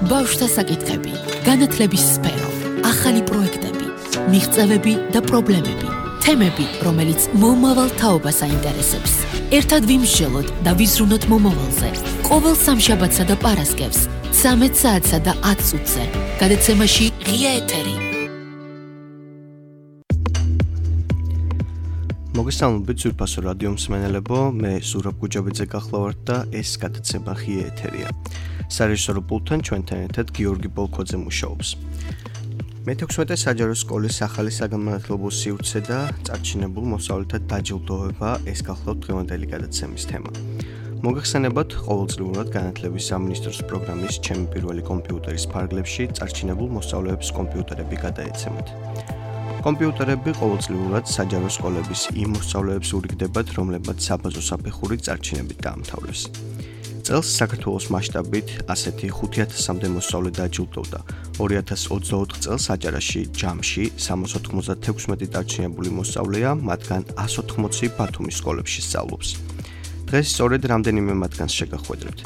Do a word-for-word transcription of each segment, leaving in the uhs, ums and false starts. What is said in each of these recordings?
ბავშვთა საკითხები, განათლების სფერო, ახალი პროექტები, მიღწევები და პრობლემები, თემები, რომელიც მომავალ თაობას აინტერესებს. ერთად ვიმსჯელოთ და ვიზრუნოთ მომავალზე. ყოველ სამშაბათსა და პარასკევს, ცამეტ საათსა და ათ წუთზე. გადაცემაში ღია ეთერი. მოგესალმებით ძვირფასო რადიო მსმენელებო, მე ზურაბ გუჯაბიძე გახლავართ და ეს გადაცემა ღია ეთერია. სარეჟისორო პულტთან ჩვენთან ერთად გიორგი პოლკოძე მუშაობს. მეთექვსმეტე საჯარო სკოლის ახალი საგანმანათლებლო სივრცე და წარჩინებულ მოსწავლეთა დაჯილდოება ეს გახლავთ დღევანდელი გადაცემის თემა. მოგეხსენებათ, ყოველწლიურად განათლების სამინისტროს პროგრამის ჩემი პირველი კომპიუტერის ფარგლებში წარჩინებულ მოსწავლეებს კომპიუტერები გადაეცემათ. კომპიუტერები ყოველწლიურად საჯარო სკოლების იმ მოსწავლეებს ურიგდებათ, რომლებმაც საბაზო საფეხური წარჩინებით დაამთავრეს. წელს საქართველოს მასშტაბით ასეთი ხუთი ათასამდე მოსწავლე დაჯილდოვდა. ორი ათას ოცდაოთხ წელს აჭარაში ჯამში სამას ოთხმოცდათექვსმეტი დარჩენებული მოსწავლეა, მათგან ას ოთხმოცი ბათუმის სკოლებში სწავლობს. დღეს სწორედ რამდენიმე მათგანს შეგახვედრებთ.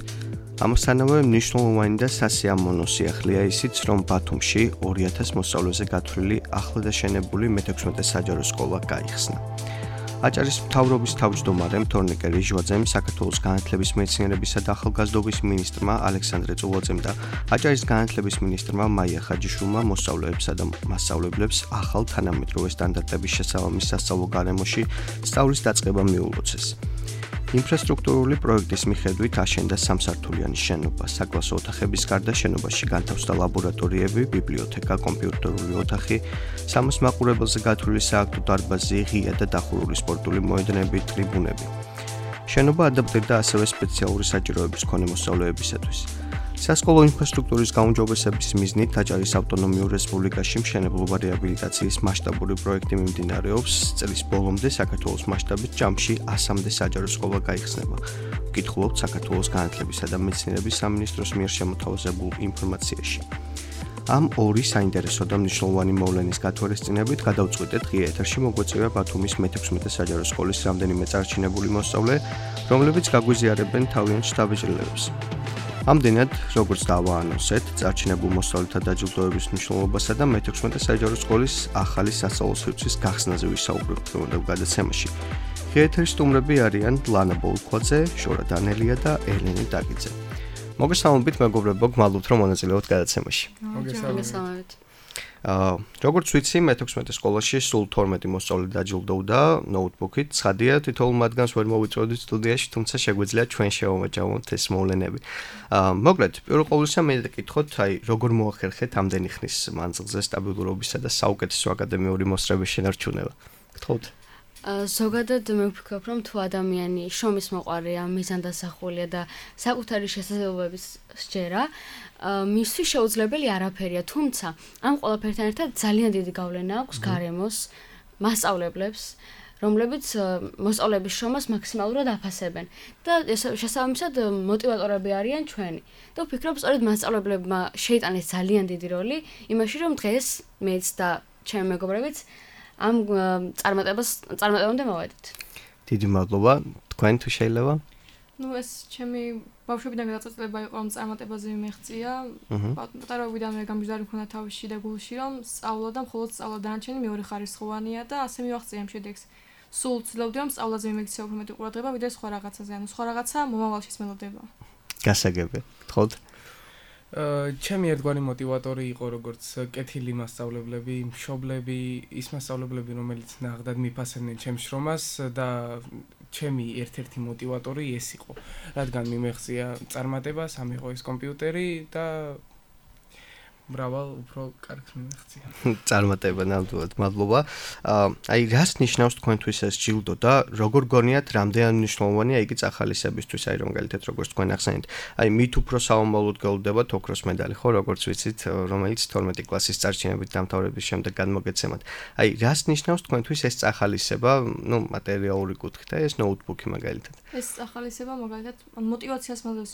ამასთანავე მნიშვნელოვანი და სასიამოვნო სიახლეა ისიც, რომ ბათუმში ორი ათას მოსწავლეზე გათვლილი ახლადაშენებული მეთექვსმეტე საჯარო სკოლა გაიხსნა. აჭარის მთავრობის თავმჯდომარე თორნიკე რიჟვაძემ, საქართველოს განათლების მეცნიერებისა და ახალგაზრდობის მინისტრმა ალექსანდრე წულაძემ და აჭარის განათლების მინისტრმა მაია ხაჯიშვილმა მოსწავლეებსა და მასწავლებლებს ახალ თანამედროვე სტანდარტების შესაბამის სასწავლო გარემოში სწავლის დაწყება მიულოცეს. ინფრასტრუქტურული პროექტის მიხედვით აშენდა სამსართულიანი შენობა, საკლასო ოთახების გარდა შენობაში განთავსდა ლაბორატორიები, ბიბლიოთეკა, კომპიუტერული ოთახი, სამას მაყურებელზე გათვლილი სააქტო დარბაზი, ღია და დახურული სპორტული მოედნები, ტრიბუნები. შენობა ადაპტირდა ასევე სპეციალური საჭიროების მქონე მოსწავლეებისათვის. სასკოლო ინფრასტრუქტურის გაუმჯობესების მიზნით აჭარის ავტონომიურ რესპუბლიკაში მშენებლობა რეაბილიტაციის მასშტაბური პროექტი მიმდინარეობს. წლის ბოლომდე საქართველოს მასშტაბით ჯამში ასამდე საჯარო სკოლა გაიხსნება. ვკითხულობთ საქართველოს განათლებისა და მეცნიერების სამინისტროს მიერ შემოთავაზებულ ინფორმაციაში. ამ ორი საინტერესო და მნიშვნელოვანი მოვლენის გათვალისწინებით გადავწყვიტეთ ღია ეთერში მოგვეწევა ბათუმის მეთექვსმეტე საჯარო სკოლის რამდენიმე წარჩინებული მოსწავლე, რომლებიც გაგვიზიარებენ თავიანთ შთაბეჭდილებებს. ამდენად, როგორც დავაანონსეთ, წარჩინებულ მოსწავლეთა დაჯილდოების მნიშვნელობასა და მეთექვსმეტე საჯარო სკოლის ახალი სასწავლო სივრცის გახსნაზე ვისაუბრებთ დღევანდელ გადაცემაში. ღია ეთერის სტუმრები არიან ლანა ბოლქვაძე, შორა დანელია და ელენე დაგიძე. მოგესალმებით, მეგობრებო, გმადლობთ, რომ მონაწილეობთ გადაცემაში. მოგესალმებით. აა, როგორც ვიცი, მეთექვსმეტე სკოლაში სულ თორმეტი მოსწავლე დაჯილდოვდა ნოუთბუქით. ცხადია, თითოეულ მათგანს ვერ მოვიწვევდით სტუდიაში, თუმცა შეგვიძლია ჩვენ შევამაჯამოთ ეს მოვლენები. აა, მოკლედ, პირველ ყოვლისა მე დაგკითხოთ, აი, როგორ მოახერხეთ ამდენი ხნის მანძილზე სტაბილურობისა და საუკეთესო აკადემიური მოსწრების შენარჩუნება. გთხოვთ. ზოგადად მე ვფიქრობ, რომ თუ ადამიანი შრომის მოყვარეა, მიზანდასახულია და საკუთარი შესაძლებლობების სჯერა, მისთვის შეუძლებელი არაფერია, თუმცა ამ ყველაფერთან ერთად ძალიან დიდი გავლენა აქვს გარემოს, მასწავლებლებს, რომლებიც მოსწავლეების შრომას მაქსიმალურად აფასებენ და შესაბამისად მოტივატორები არიან ჩვენი. და ვფიქრობ, სწორედ მასწავლებლებმა შეიტანეს ძალიან დიდი როლი იმაში, რომ დღეს მეც და ჩემი მეგობრებიც ამ წარმატებას წარმატებამდე მოვედით. დიდი მადლობა. თქვენ თუ შეიძლება? ნუ ეს ჩემი ბავშვობიდან გადაწყვეტილება იყო, რომ წარმატებაზე მიმეღწია. პატარაობიდანვე გამბიჯდარი მქონდა თავის შიდა გულში, რომ სწავლა და მხოლოდ სწავლა დანარჩენი მეორე ხარისხოვანია და ასე მივაღწია ამ შედეგს. სულ ცდილობდი, რომ სწავლაზე მიმექცია უფრო მეტი ყურადღება, ვიდრე სხვა რაღაცაზე. ანუ სხვა რაღაცა მომავალში მელოდება. გასაგები. გთხოვთ. ჩემი ერთგვარი მოტივატორი იყო როგორც კეთილი მასწავლებლები, მშობლები, ის მასწავლებლები, რომელიც ნაღდად მიფასებდნენ ჩემს შრომას და ჩემი ერთ-ერთი მოტივატორი ეს იყო, რადგან მიმეღწია წარმატებას, ამიღო ეს კომპიუტერი და მრავალ უფრო კარგს მიმეღწია. წარმატება ნამდვილად, მადლობა. აი, რას ნიშნავს თქვენთვის ეს ჯილდო და როგორ გონიათ, რამდენად მნიშვნელოვანია იგი წახალისებისთვის, აი, რომელთაც როგორც თქვენ ახსენეთ. აი, მით უფრო საომალოდ გეულდებათ ოქროს медаლი, ხო, როგორც ვიცით, რომელიც თორმეტი კლასის წარჩინებით დამთავრების შემდეგ განმოგეცემათ. აი, რას ნიშნავს თქვენთვის ეს წახალისება, ну, მატერიალური კუთხით, ეს ნოუთბუქი მაგალითად. ეს წახალისება მაგალითად მოტივაციას მოდევს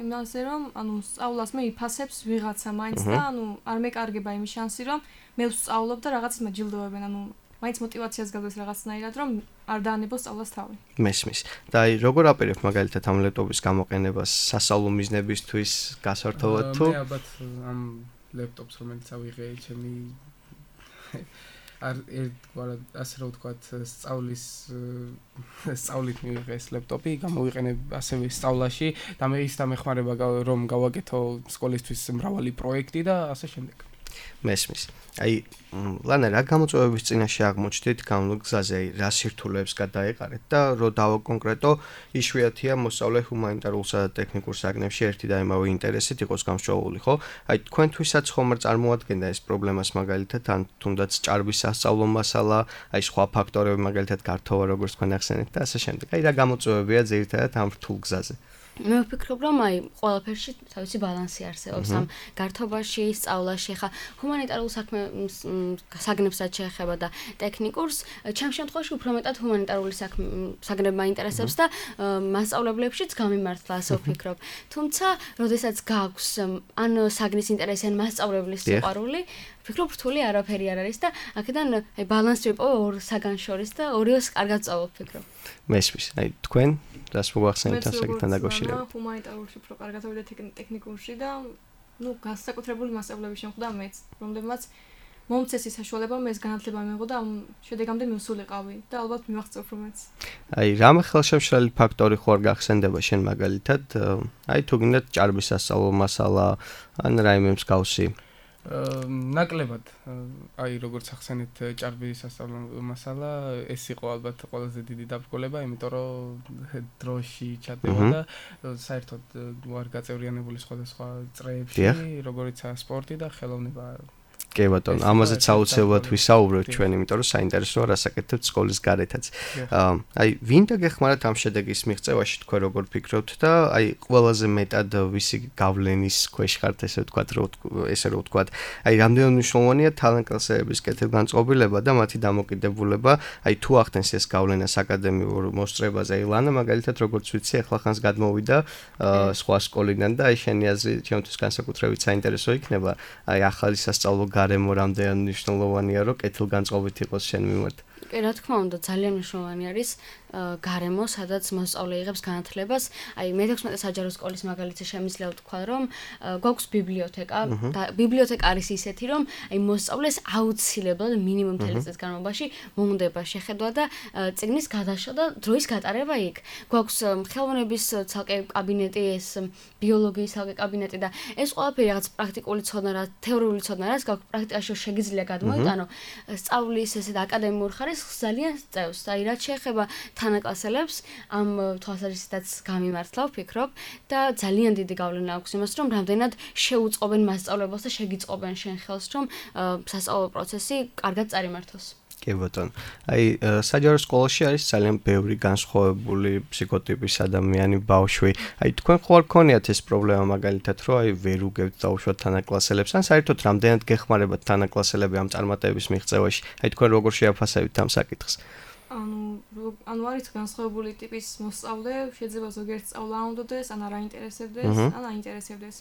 იმაზე, რომ ანუ სწავლას მე იფასებს ვიღაცა მაინც და ანუ არ მეკარგება იმის შანსი, რომ მე ვსწავლობ და რაღაცის მაჯილდოებენ, ანუ მაინც მოტივაციას გაგვეს რაღაცნაირად, რომ არ დაანებოს სწავლას თავი. მესმის. და აი როგორ აპირებ მაგალითად ამ ლეპტოპის გამოყენებას სასწავლო მიზნებისთვის გასართობად თუ? მე ალბათ ამ ლეპტოპს რომელიც ავიღე ჩემი არ ერთგვარად ასე რომ ვთქვათ სწავლის სწავლით მივიღე ეს ლეპტოპი, გამოვიყენებ ასევე სწავლაში და მე ის დამეხმარება რომ გავაკეთო სკოლისთვის მრავალი პროექტი და ასე შემდეგ. მესმის. აი ლანა რა გამოწვევების წინაშე აღმოჩნდით გამლულ გზაზე, აი რა სირთულეებს გადაეყარეთ და რო დავაკონკრეტო იშვიათია მოსწავლე ჰუმანიტარულსა და ტექნიკურ საგნებში ერთი და იმავე ინტერესით იყოს გამსჭვალული, ხო? აი თქვენთვისაც ხომ არ წარმოადგენდა ეს პრობლემას მაგალითად ან თუნდაც ჭარბის სასწავლო მასალა, აი სხვა ფაქტორები მაგალითად გართობა როგორც თქვენ ახსენეთ და ასე შემდეგ. აი რა გამოწვევებია ძირითადად ამ რთულ გზაზე? მე ვფიქრობ, რომ აი ყველაფერში თავისი ბალანსი არსებობს ამ გართობაში, სწავლაში, ხა ჰუმანიტარულ საქმე საგნებსაც შეეხება და ტექნიკურს, ჩემ შემთხვევაში უფრო მეტად ჰუმანიტარული საგნები მაინტერესებს და მასწავლებლებშიც გამიმართლა, ასე ვფიქრობ. თუმცა, როდესაც გაქვს ან საგნის ინტერესი, ან მასწავლებლის სიყვარული, ვფიქრობ, რთული არაფერი არ არის და აქედან აი ბალანსი ვიპოვე ორ საგანს შორის და ორივეს კარგად წავ ვფიქრობ. მესმის. აი თქვენ რას მოგახსენებთ ამ საკითხთან დაკავშირებით? ჰუმანიტარულში უფრო კარგად ავიდა ტექნიკურში და ნუ განსაკუთრებული მასწავლებლები შემხვდა მეც, რომლებმაც მომწეს ის საშუალება, მე ეს განათლება მიიღო და ამ შედეგამდე მივსულიყავი და ალბათ მივაღწევ რომაც. აი რამე ხელშემშლელი ფაქტორი ხო არ გახსენდება შენ მაგალითად? აი თუ გინდათ ჭარბის სასწავლო მასალა ან რაიმე მსგავსი ნაკლებად აი როგორც ახსენეთ ჭარბის სასწავლო მასალა ეს იყო ალბათ ყველაზე დიდი დაბრკოლება, იმიტომ რომ დროში ჩატევა და საერთოდ ვარ გაწევრიანებული სხვადასხვა წრეებში, როგორიცაა სპორტი და ხელოვნება. კი ბატონო, ამაზეც აუცილებლად ვისაუბრებთ ჩვენ, იმიტომ რომ საინტერესოა რასაკეთებთ სკოლის გარეთაც. აი, ვინდა გეხმარათ ამ შედეგის მიღწევაში თქვენ როგორ ფიქრობთ და აი, ყველაზე მეტად ვისი გავლენის ქვეშ ხართ, ესე ვთქვათ, ესე რომ ვთქვათ, აი, რამდენად მნიშვნელოვანია თალანტკლასეების კეთილგანწყობილება და მათი დამოკიდებულება, აი, თუ ახდენს ეს გავლენას აკადემიურ მოსწრებაზე, აი, ლანა მაგალითად როგორც ვიცი, ახლა ხანს გადმოვიდა სხვა სკოლიდან და აი, შენი აზრი ჩემთვის განსაკუთრებით საინტერესო იქნება, აი, ახალი სასწავლო გარემო რამდენად მნიშვნელოვანია, რომ კეთილგანწყობით იყოს შენ მიმართ. კი, რა თქმა უნდა, ძალიან მნიშვნელოვანი არის გარემო, სადაც მოსწავლე იღებს განათლებას. აი, მეთექვსმეტე საჯარო სკოლის მაგალითზე შემიძლია ვთქვა, რომ გვაქვს ბიბლიოთეკა და ბიბლიოთეკა არის ისეთი, რომ აი მოსწავლეს აუცილებლად მინიმუმ მთელი წლის განმავლობაში მოუნდება შეხედვა და წიგნის გადაშლა და დროის გატარება იქ. გვაქვს ხელოვნების ცალკე კაბინეტი, ეს ბიოლოგიის ცალკე კაბინეტი და ეს ყველაფერი რაღაც პრაქტიკული ცოდნა რა, თეორიული ცოდნა რაც გაქვს პრაქტიკაში შეგიძლია გადმოიტანო. სწავლის ესეთ აკადემიურ ხარისხს ძალიან წევს. აი, რაც შეეხება თანაკლასელებს ამ თვალსაზრისითაც გამიმართლა ვფიქრობ და ძალიან დიდი გავლენა აქვს იმას, რომ რამდენად შეუწყობენ მასწავლებლებს და შეგიწყობენ შენ ხელს, რომ სასწავლო პროცესი კარგად წარიმართოს. კი ბატონო. აი, საჯარო სკოლაში არის ძალიან ბევრი განსხვავებული ფსიქოტიპის ადამიანი ბავშვი. აი, თქვენ ხო არ გქონიათ ეს პრობლემა მაგალითად, რომ აი ვერ უგებთ დაუშვათ თანაკლასელებს, ან საერთოდ რამდენად გეხმარებათ თანაკლასელები ამ წარმატების მიღწევაში? აი, თქვენ როგორ შეაფასებთ ამ საკითხს? ანუ ანუ არის განსხვავებული ტიპის მოსწავლე, შეიძლება ზოგიერთ სწავლა უნდადეს, ან არ აინტერესებდეს, ან აინტერესებდეს.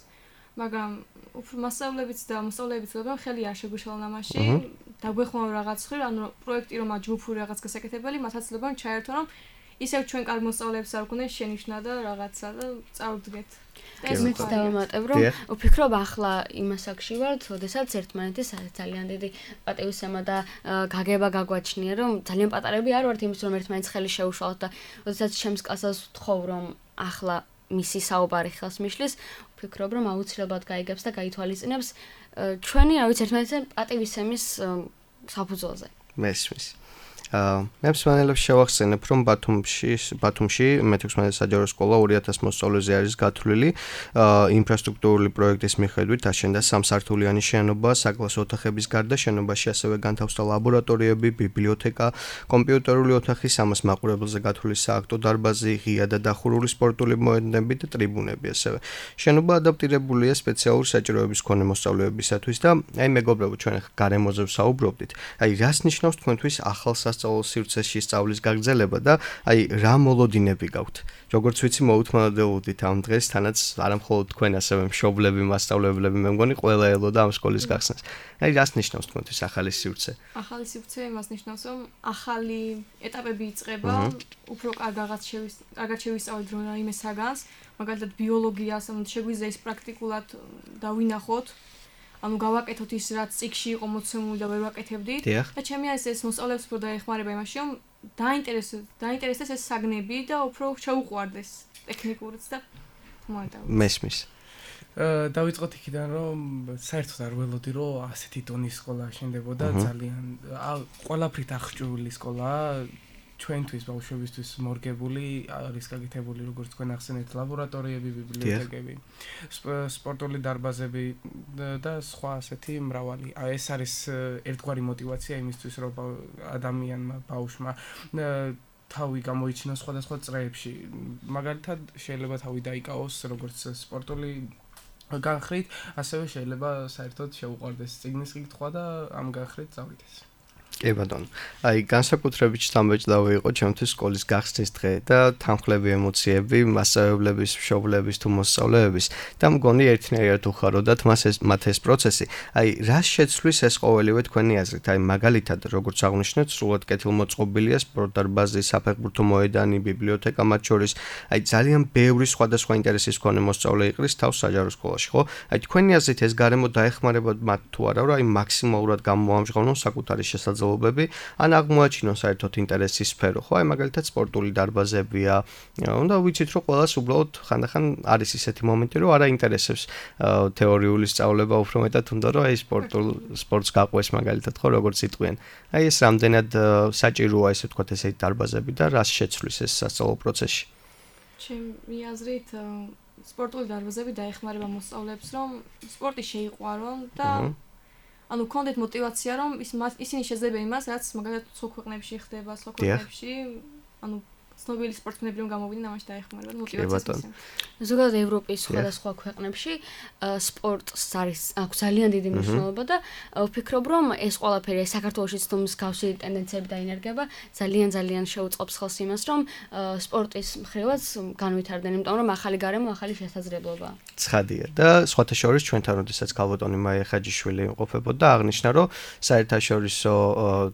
მაგრამ უფრო მასწავლებიც და მოსწავლეებიც ლებენ ხელი არ შეგვიშალონ ამაში. დაგვეხმაურა რაღაც ხრი, ანუ პროექტი რომ აჯგუფური რაღაც გასაკეთებელი, მათაც ლებენ ჩაერთონ, რომ ისევ ჩვენ კარგ მოსწავლეებს არ გვქონდეს შენიშვნა და რაღაცა და წავდგეთ. ეს მეც დავამატებ, რომ ვფიქრობ ახლა იმას აქში ვართ, როდესაც ერთმანეთის ძალიან დიდი პატივისცემა და გაგება გაგვაჩნია, რომ ძალიან პატარები არ ვართ იმის, რომ ერთმანეთს ხელი შეუშალოთ და როდესაც ჩემს კლასას ვთხოვ, რომ ახლა მისი საუბარი ხელს მიშლის, ვფიქრობ, რომ აუცილებლად გაიგებს და გაითვალისწინებს ჩვენი, რა ვიცი, ერთმანეთს პატივისცემის საფუძველზე. მესმის. მე მსმენელებს შევახსენებ, რომ ბათუმში, ბათუმში მეთექვსმეტე საჯარო სკოლა ორი ათას მოსწავლეზე არის გათვლილი. ინფრასტრუქტურული პროექტის მიხედვით აშენდა სამსართულიანი შენობა, საკლასო ოთახების გარდა შენობაში ასევე განთავსდა ლაბორატორიები, ბიბლიოთეკა, კომპიუტერული ოთახი, სამას მაყურებელზე გათვლილი სააქტო დარბაზი, ღია და დახურული სპორტული მოედნები და ტრიბუნები ასევე. შენობა ადაპტირებულია სპეციალური საჭიროების მქონე მოსწავლეებისათვის და აი მეგობრებო, ჩვენ ახლა გარემოზე ვსაუბრობდით. აი რას ნიშნავს თქვენთვის ახალ სასწავლო სივრცეში სწავლის გაგრძელება და აი რა მოლოდინები გაქვთ? როგორც ვიცი, მოუთმანოდებით ამ დღეს თანაც არამხოლოდ თქვენ, ასევე მშობლები, მასწავლებლები, მე მგონი ყველა ელოდა ამ სკოლის გახსნას. აი რას ნიშნავს თქვენთვის ახალი სივრცე? ახალი სივრცე იმას ნიშნავს, რომ ახალი ეტაპები იწყება, უფრო კარგად შევის, კარგად შევისწავლეთ რაიმე საგანს, მაგალითად ბიოლოგიას, ანუ შეგვიძლია ის პრაქტიკულად დავინახოთ. ანუ გავაკეთოთ ის რაც წიგში იყო მოცემული და ვერ ვაკეთებდით და ჩემი არის ეს მოსწავლეებს უფრო დაეხმარება იმაში რომ დაინტერესდეს დაინტერესდეს ეს საგნები და უფრო შეუყვარდეს ტექნიკურიც და მოადავოს მესმის დავიწყოთ იქიდან რომ საერთოდ არ ველოდი რომ ასეთი ტონის სკოლა შენდებოდა ძალიან ყველაფრით აღჭურვილი სკოლაა ჩვენთვის ბავშვებისთვის მორგებული არის გაკეთებული როგორც თქვენ ახსენეთ ლაბორატორიები, ბიბლიოთეკები, სპორტული დარბაზები და სხვა ასეთი მრავალი. ეს არის ერთგვარი мотиваცია იმისთვის რომ ადამიანმა ბავშვმა თავი გამოიჩინოს სხვადასხვა წრეებში. მაგალითად შეიძლება თავი დაიკავოს როგორც სპორტული განხრით, ასევე შეიძლება საერთოდ შეუყვარდეს წიგნის კითხვა და ამ განხრით წავიდეს. კი ბატონო. აი განსაკუთრებით შთამბეჭდავი იყო ჩემთვის სკოლის გახსნის დღე და თანხლები ემოციები მასწავლებლების, მშობლების თუ მოსწავლეების და მგონი ერთნაირად უხაროდათ მას ეს მათ ეს პროცესი. აი რას შეცვლის ეს ყოველივე თქვენი აზრით? აი მაგალითად როგორც აღნიშნეთ, სრულად კეთილმოწყობილია სპორტდარბაზი, საფეხბურთო მოედანი, ბიბლიოთეკა მათ შორის. აი ძალიან ბევრი სხვადასხვა ინტერესის მქონე მოსწავლე იყრის თავს საჯარო სკოლაში, ხო? აი თქვენი აზრით ეს გარემო დაეხმარება მათ თუ არა, რომ აი მაქსიმალურად გამოამჟღავნონ საკუთარი შესაძლებლობები ან აღმოაჩინონ საერთოდ ინტერესის სფერო, ხო? აი მაგალითად სპორტული დარბაზებია. უნდა ვიცით, რომ ყველას უბრალოდ ხანდახან არის ისეთი მომენტი, რომ არა ინტერესებს თეორიული სწავლება, უფრო მეტად უნდა რომ აი სპორტულ სპორტს გაყვეს მაგალითად, ხო, როგორც იტყვიან. აი ეს რამდენად საჭიროა ესე ვთქვათ ესეთი დარბაზები და რას შეცვლის ეს სასწავლო პროცესში? ჩემი აზრით სპორტული დარბაზები დაეხმარება მოსწავლეებს, რომ სპორტი შეიყვარონ და ანუ კონდეთ мотиваცია რომ ის ისინი შეძლებენ იმას რაც მაგალითად სხვა ქვეყნებში ხდება, სხვა ქვეყნებში, ანუ ცნობილი სპორტსმენები რომ გამოვიდნენ, ამაში დაეხმარება мотиваციას. ზოგადად ევროპის სხვადასხვა ქვეყნებში სპორტს არის აქვს ძალიან დიდი მნიშვნელობა და ვფიქრობ რომ ეს ყველაფერი საქართველოშიც თუ მსგავსი ტენდენციები დაინერგება, ძალიან ძალიან შეუწყობს ხელს იმას რომ სპორტის მხრივაც განვითარდნენ, იმიტომ რომ ახალი გარემო, ახალი შესაძლებლობა. ცხადია და სხვათა შორის ჩვენთან როდესაც ქალბატონი მაია ხაჯიშვილი იმყოფებოდა, აღნიშნა რომ საერთაშორისო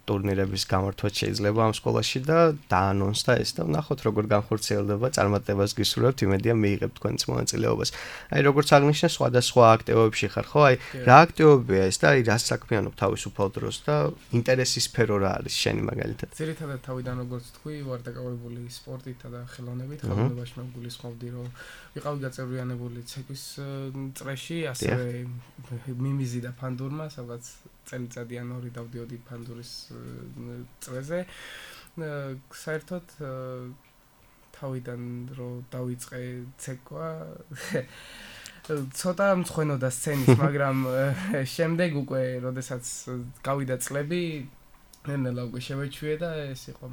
ტურნირების გამართვაც შეიძლება ამ სკოლაში და დაანონსდა ეს და ნახოთ როგორ განხორციელდება, წარმატებას გისურვებთ, იმედია მიიღებთ თქვენს მონაწილეობას. აი როგორც აღნიშნე, სხვადასხვა აქტივობებში ხარ, ხო? აი რა აქტივობებია ეს და აი რას საქმიანობ თავისუფალ დროს და ინტერესის სფერო რა არის შენი მაგალითად? ძირითადად თავიდან როგორც თქვი, ვარ დაკავებული სპორტითა და ხელოვნებით, ხელოვნებაში მე გულისხმობდი, რომ ვიყავი გაწევრიანებული ცეკვის წრეში, ასევე მიმიზიდა ფანდურმა, სადაც წელიწადი ან ორი დავდიოდი ფანდურის წრეზე. საერთოდ თავიდან რომ დავიწყე ცეკვა ცოტა მწვენოდა სცენის, მაგრამ შემდეგ უკვე, როდესაც გავიდა წლები, ნელა უკვე შევეჩვიე და ეს იყო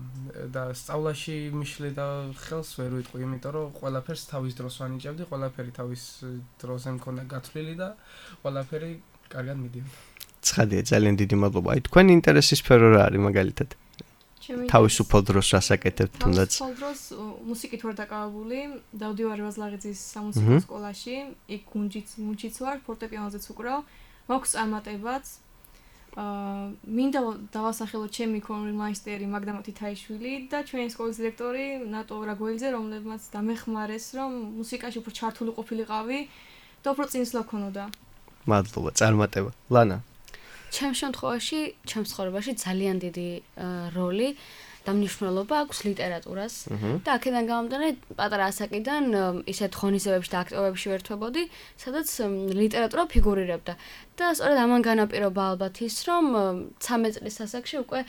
და სწავლაში მიშლი და ხელს ვერ ვიტყვი, იმიტომ რომ ყველაფერს თავის დროს ვანიჭებდი, ყველაფერი თავის დროზე მქონდა გათვლილი და ყველაფერი კარგად მიდიოდა. ცხადია, ძალიან დიდი მადლობა. აი თქვენი ინტერესის სფერო რა არის მაგალითად? თავისუფალ დროს რასაკეთებთ თუნდაც? თავისუფალ დროს მუსიკით ვარ დაკავებული, დავდივარ ვაზლაღიძის სამუსიკო სკოლაში, იქ გუნჯიც გუნჯიც ვარ, ფორტეპიანოზეც ვუკრავ, მაქვს წარმატებაც. აა მინდა დავასახელო ჩემი კონმაისტერი მაგდამა თითაიშვილი და ჩვენი სკოლის დირექტორი ნატო რაგოელიძე, რომლებმაც დამეხმარეს, რომ მუსიკაში უფრო ჩართული ყოფილიყავი და უფრო წინსვლა ქონოდა. მადლობა, წარმატება. ლანა ჩემ შემთხვევაში, ჩემ ცხოვრებაში ძალიან დიდი როლი და მნიშვნელობა აქვს ლიტერატურას და აქედან გამომდინარე პატარა ასაკიდან ისეთ ღონისძიებებში და აქტივობებში ვერთვებოდი, სადაც ლიტერატურა ფიგურირებდა. და სწორედ ამან განაპირობა ალბათ ის, რომ ცამეტ წლის ასაკში უკვე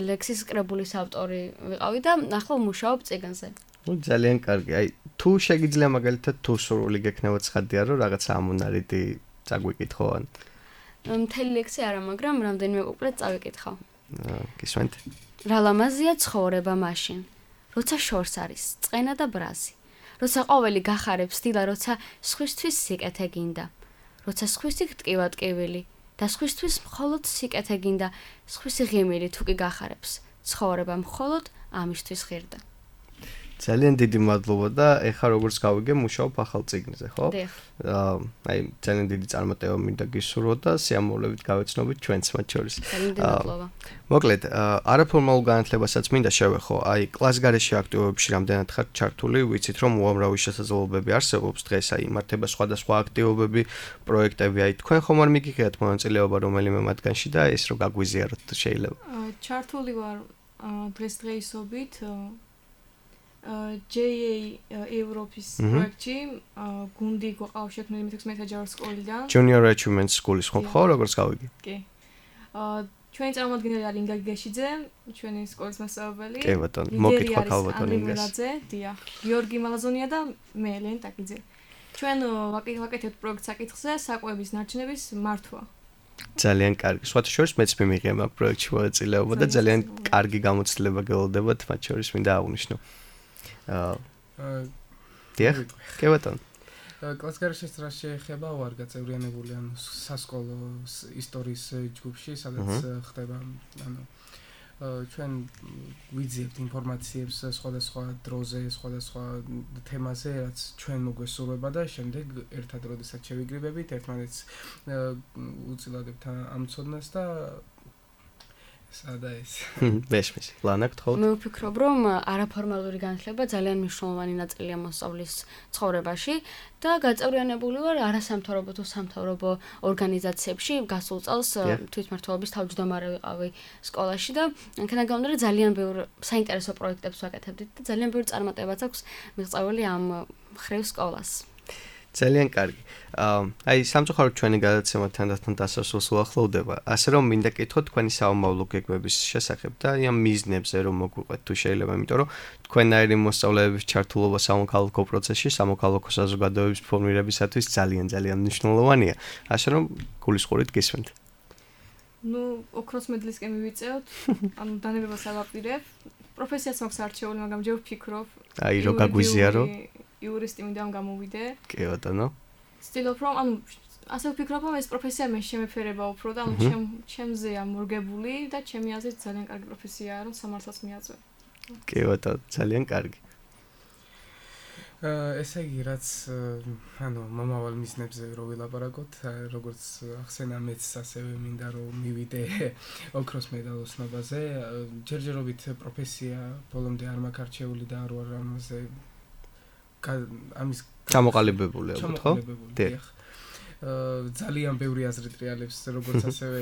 ლექსის კრებულის ავტორი ვიყავი და ახლა ვმუშაობ წიგნზე. ნუ ძალიან კარგი. აი თუ შეგიძლია მაგალითად თუ სურვილი გექნება ცხადია რომ რაღაცა ამონარიდი წაგვიკითხო ან მთელი ლექსი არა, მაგრამ რამდენიმე კუპლეტ წავიკითხავ. გისმენთ? რა ლამაზია ცხოვრება მაშინ, როცა შორს არის წყენა და ბრაზი, როცა ყოველი გახარებს დილა, როცა სხვისთვის სიკეთე გინდა, როცა სხვისი გტკივა ტკივილი და სხვისთვის მხოლოდ სიკეთე გინდა, სხვისი ღიმილი თუ კი გახარებს, ცხოვრება მხოლოდ ამისთვის ღირდა. ძალიან დიდი მადლობა და ეხლა როგორც გავიგე მუშაობ ახალ წიგნზე, ხო? აა აი ძალიან დიდი წარმატება მინდა გისურვო და სიამოვნებით გავეცნობით ჩვენც მათ შორის. ძალიან დიდი მადლობა. მოკლედ, არაფორმალურ განათლებასაც მინდა შევეხო. აი კლასგარეში აქტივობებში რამდენად ხართ ჩართული, ვიცით რომ უამრავი შესაძლებლობები არსებობს დღეს, აი იმართება სხვადასხვა აქტივობები, პროექტები, აი თქვენ ხომ არ მიგიღეთ მონაწილეობა რომელიმე მათგანში და ეს რო გაგვიზიაროთ შეიძლება. ჩართული ვარ დღესდღეობით ჯეი ეი ევროპის პროექტში გუნდი გვაყავს შექმნილი მეთექვსმეტე ჯარის სკოლიდან. Junior Achievement School-ის ხო ხო როგორც გავიგე? კი. აა ჩვენი წარმომადგენელი არის ინგა გიგაშიძე, ჩვენი სკოლის მასწავლებელი. კი ბატონო, მოგკითხოთ ალბათ ინგას. დიახ, გიორგი მალაზონია და მე ელენ ტაკიძე. ჩვენ ვაკეთებთ პროექტ საკითხზე საკვების ნარჩენების მართვა. ძალიან კარგი. სხვათა შორის მეც მიმიღია მაგ პროექტში მონაწილეობა და ძალიან კარგი გამოცდილება გელოდებათ, მათ შორის მინდა აღვნიშნო. აა დიახ, კი ბატონო. კლასგარეშიც რა შეეხება ვარ გაწევრიანებული ანუ სასკოლო ისტორიის ჯგუფში, სადაც ხდება ანუ ჩვენ ვიძიებთ ინფორმაციებს სხვადასხვა დროზე, სხვადასხვა თემაზე, რაც ჩვენ მოგვესურვება და შემდეგ ერთად როდესაც შევიგრიბებით, ერთმანეთს უწილადებთ ამ ცოდნას და სადა ეს. ბეშმის. ლანა გთხოვთ. მე ვფიქრობ, რომ არაფორმალური განათლება ძალიან მნიშვნელოვანი ნაწილია მოსწავლის ცხოვრებაში და გაწევრიანებული ვარ არასამთავრობო თუ სამთავრობო ორგანიზაციებში. გასულ წელს თვითმმართველობის თავმჯდომარე ვიყავი სკოლაში და აქედან გამომდინარე ძალიან ბევრ საინტერესო პროექტებს ვაკეთებდით და ძალიან ბევრი წარმატებაც აქვს მიღწეული ამ ხრივ სკოლას. ძალიან კარგი. აი სამწუხაროდ ჩვენი გადაცემა თანდათან დასასრულს უახლოვდება. ასე რომ მინდა კითხოთ თქვენი საომავლო გეგმების შესახებ და ამ მიზნებზე რომ მოგვიყვეთ თუ შეიძლება, იმიტომ რომ თქვენაირი მოსწავლეების ჩართულობა სამოქალაქო პროცესში, სამოქალაქო საზოგადოების ფორმირებისათვის ძალიან ძალიან მნიშვნელოვანია. ასე რომ გულისხმობით გისმენთ. ნუ ოქროს მედლისკენ მივიწევთ. ანუ დანებებას ავაპირებ. პროფესიაც მაქვს არჩეული, მაგრამ ჯერ ვფიქრობ. აი რო გაგვიზიარო. იურისტი მინდა ამ გამოვიდე. კი ბატონო. ცდილობ რომ ანუ ასე ვფიქრობ რომ ეს პროფესია მე შემეფერება უფრო და ანუ ჩემ ჩემზეა მორგებული და ჩემი აზრით ძალიან კარგი პროფესიაა რომ სამართალს მიაწვე. კი ბატონო, ძალიან კარგი. აა ესე იგი რაც ანუ მომავალ მიზნებზე რო ვილაპარაკოთ, როგორც ახსენა მეც ასევე მინდა რომ მივიდე ოქროს მედალოსნობაზე. ჯერჯერობით პროფესია ბოლომდე არ მაქვს არჩეული და არ ვარ ამაზე ამის ჩამოყალიბებული ალბათ ხო? დიახ. აა ძალიან ბევრი აზრი ტრიალებს, როგორც ასევე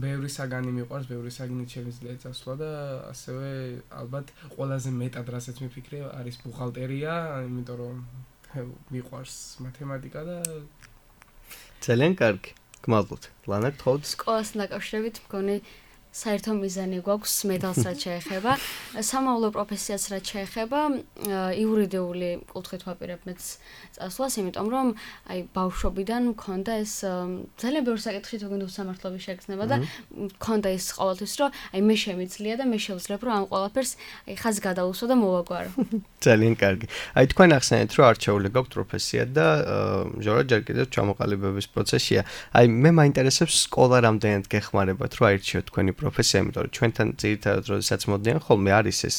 ბევრი საგანი მიყვარს, ბევრი საგანი შემიძლია წასვლა და ასევე ალბათ ყველაზე მეტად რასაც მიფიქრე არის ბუხალტერია, იმიტომ რომ მიყვარს მათემატიკა და ძალიან კარგი. გმადლობთ. ლანა გთხოვთ. სკოლასთან დაკავშირებით მგონი საერთო მიზანი გვაქვს მედალს რაც შეეხება, სამავლო პროფესიას რაც შეეხება, იურიდიული კუთხით ვაპირებ მეც წასვლას, იმიტომ რომ აი ბავშვობიდან მქონდა ეს ძალიან ბევრი საკითხი თუნდაც სამართლობის შეგრძნება და მქონდა ის ყოველთვის რომ აი მე შემიძლია და მე შევძლებ რომ ამ ყველაფერს აი ხაზი გადავუსვა და მოვაგვარო. ძალიან კარგი. აი თქვენ ახსენეთ რომ არჩეული გაქვთ პროფესია და ჟორა ჯერ კიდევ ჩამოყალიბების პროცესია. აი მე მაინტერესებს სკოლა რამდენად გეხმარებათ რომ აირჩიოთ თქვენი პროფესია, იმიტომ რომ ჩვენთან ძირითადად როდესაც მოდიან ხოლმე არის ეს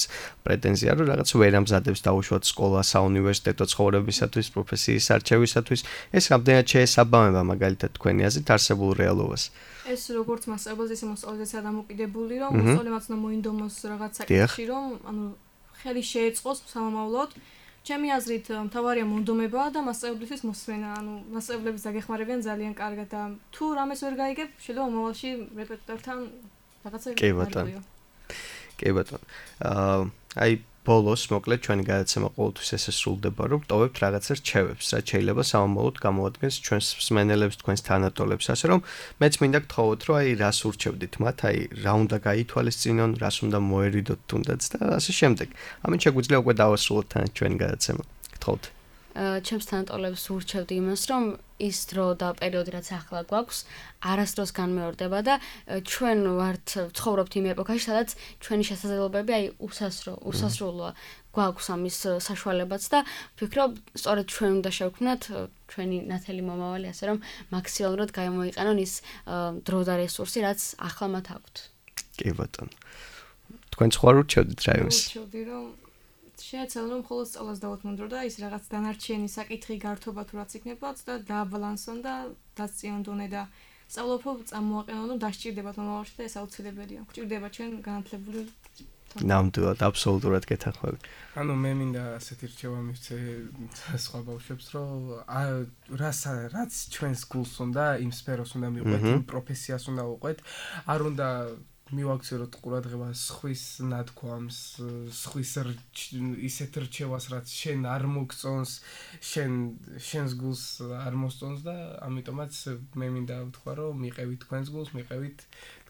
პრეტენზია რომ რაღაც ვერ ამზადებს დაუშვათ სკოლა საუნივერსიტეტო ცხოვრებისათვის, პროფესიის არჩევისათვის. ეს რამდენად შეესაბამება მაგალითად თქვენი აზრით არსებულ რეალობას? ეს როგორც მასწავლებელს ისე მოსწავლესაც დამოკიდებული რომ მოსწავლემაც უნდა მოინდომოს რაღაც საკითხში რომ ანუ ხელი შეეწყოს სამომავლოდ. ჩემი აზრით მთავარია მონდომება და მასწავლებლისთვის მოსმენა. ანუ მასწავლებლებს დაგეხმარებიან ძალიან კარგად და თუ რამეს ვერ გაიგებ, შეიძლება მომავალში რეპეტიტორთან რაღაცა კი ბატონო. კი ბატონო. აა აი ბოლოს მოკლედ ჩვენი გადაცემა ყოველთვის ესე სრულდება, რომ ვტოვებთ რაღაცა რჩევებს, რაც შეიძლება სამომავლოდ გამოადგენს ჩვენს მსმენელებს, თქვენს თანატოლებს, ასე რომ მეც მინდა გთხოვოთ, რომ აი რას ურჩევდით მათ, აი რა უნდა გაითვალისწინონ, რას უნდა მოერიდოთ თუნდაც და ასე შემდეგ. ამით შეგვიძლია უკვე დავასრულოთ თან ჩვენი გადაცემა. გთხოვთ. ჩემს თანატოლებს ურჩევდი იმას, რომ ის დრო და პერიოდი რაც ახლა გვაქვს, არასდროს განმეორდება და ჩვენ ვართ ცხოვრობთ იმ ეპოქაში, სადაც ჩვენი შესაძლებლობები აი უსასრო, უსასრულოა. გვაქვს ამის საშუალებაც და ვფიქრობ, სწორედ ჩვენ უნდა შევქმნათ ჩვენი ნათელი მომავალი, ასე რომ მაქსიმალურად გამოიყენონ ის დრო და რესურსი, რაც ახლა მათ აქვთ. კი ბატონო. თქვენ სხვა რჩევდით რა იმის? რჩევდი რომ შეეცვალა რომ მხოლოდ სწავლას დავუთმუნდრო და ის რაღაც დანარჩენი საკითხი გართობა თუ რაც იქნებათ და დააბალანსონ და დაწიონ დონე და სწავლობ წამოაყენონ რომ დასჭირდებათ მომავალში და ეს აუცილებელია. გჭირდება ჩვენ განათლებული ნამდვილად აბსოლუტურად გეთანხმები. ანუ მე მინდა ასეთი რჩევა მივცე სხვა ბავშვებს რომ რაც რაც ჩვენს გულს უნდა იმ სფეროს უნდა მივყვეთ, იმ პროფესიას უნდა უყვეთ, არ უნდა მივაქცევოთ ყურადღება სხვის ნათქვამს, სხვის ისეთ რჩევას, რაც შენ არ მოგწონს, შენ შენს გულს არ მოსწონს და ამიტომაც მე მინდა ვთქვა, რომ მიყევით თქვენს გულს, მიყევით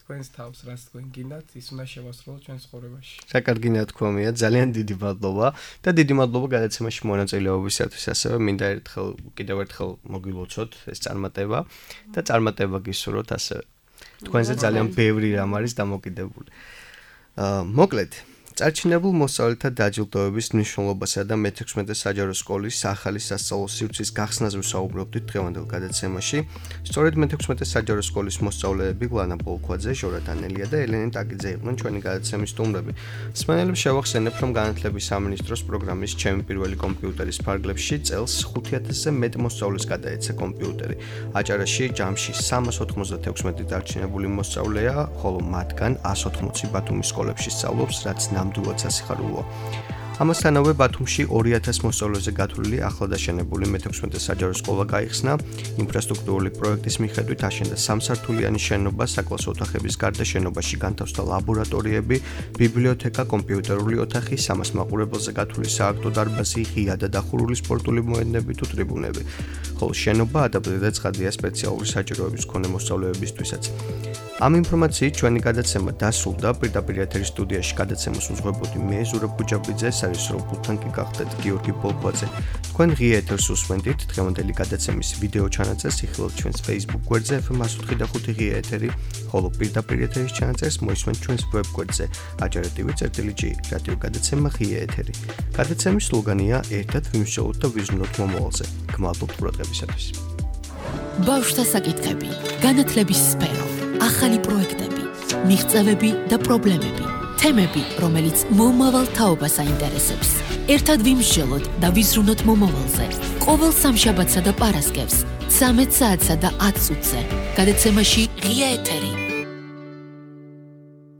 თქვენს თავს, რაც თქვენ გინდათ, ის უნდა შევასრულოთ ჩვენს ცხოვრებაში. რა კარგი ნათქვამია, ძალიან დიდი მადლობა და დიდი მადლობა გადაცემაში მონაწილეობისათვის. ასევე მინდა ერთხელ კიდევ ერთხელ მოგილოცოთ ეს წარმატება და წარმატება გისურვოთ ასევე. თქვენზე ძალიან ბევრი რამ არის დამოკიდებული. აა მოკლედ, წარჩინებულ მოსწავლეთა დაჯილდოების მნიშვნელობასა და მეთექვსმეტე საჯარო სკოლის ახალი სასწავლო სივრცის გახსნაზე ვსაუბრობდით დღევანდელ გადაცემაში. სწორედ მეთექვსმეტე საჯარო სკოლის მოსწავლეები გლანა პოლქვაძე, ჟორა დანელია და ელენე ტაგიძე იყვნენ ჩვენი გადაცემის სტუმრები. მსმენელებს შევახსენებ, რომ განათლების სამინისტროს პროგრამის ჩემი პირველი კომპიუტერის ფარგლებში წელს ხუთი ათასზე მეტ მოსწავლეს გადაეცა კომპიუტერი. აჭარაში ჯამში სამას ოთხმოცდათექვსმეტი დარჩენებული მოსწავლეა, ხოლო მათგან ას ოთხმოცი ბათუმის სკოლებში სწავლობს, რაც ნამდვილად სასიხარულოა. ამასთანავე ბათუმში ორი ათას მოსწავლეზე გათვლილი ახლადაშენებული მეთექვსმეტე საჯარო სკოლა გაიხსნა. ინფრასტრუქტურული პროექტის მიხედვით აშენდა სამსართულიანი შენობა, საკლასო ოთახების გარდა შენობაში განთავსდა ლაბორატორიები, ბიბლიოთეკა, კომპიუტერული ოთახი, სამას მაყურებელზე გათვლილი სააქტო დარბაზი, ღია და დახურული სპორტული მოედნები თუ ტრიბუნები. ხოლო შენობა ადაპტირდა და ცხადია სპეციალური საჭიროების მქონე მოსწავლეებისთვისაც. ამ ინფორმაციით ჩვენი გადაცემა დასრულდა. პირდაპირ ეთერის სტუდიაში გადაცემას უძღვებოდი მე ზურაბ გუჯაბიძე, სარესურობულთან კი გახდეთ გიორგი პოლქვაძე. თქვენ ღია ეთერს უსმენთ, დღევანდელი გადაცემის ვიდეო ჩანაწერს იხილავთ ჩვენს Facebook გვერდზე ეფ ემ ათი ხუთი ღია ეთერი, ხოლო პირდაპირ ეთერის ჩანაწერს მოისმენთ ჩვენს ვებ გვერდზე აჭარა ტივი წერტილი ჯი რადიო გადაცემა ღია ეთერი. გადაცემის სლოგანია ერთად ვიმსჯელოთ და ვიზრუნოთ მომავალზე. გმადლობთ ყურადღებისათვის. ბავშვთა საკითხები, განათლების სფერო, ახალი პროექტები, მიღწევები და პრობლემები, თემები, რომელიც მომავალ თაობას აინტერესებს. ერთად ვიმსჯელოთ და ვიზრუნოთ მომავალზე. ყოველ სამშაბათსა და პარასკევს, ცამეტ საათსა და ათ წუთზე. გადაცემაში ღია ეთერი.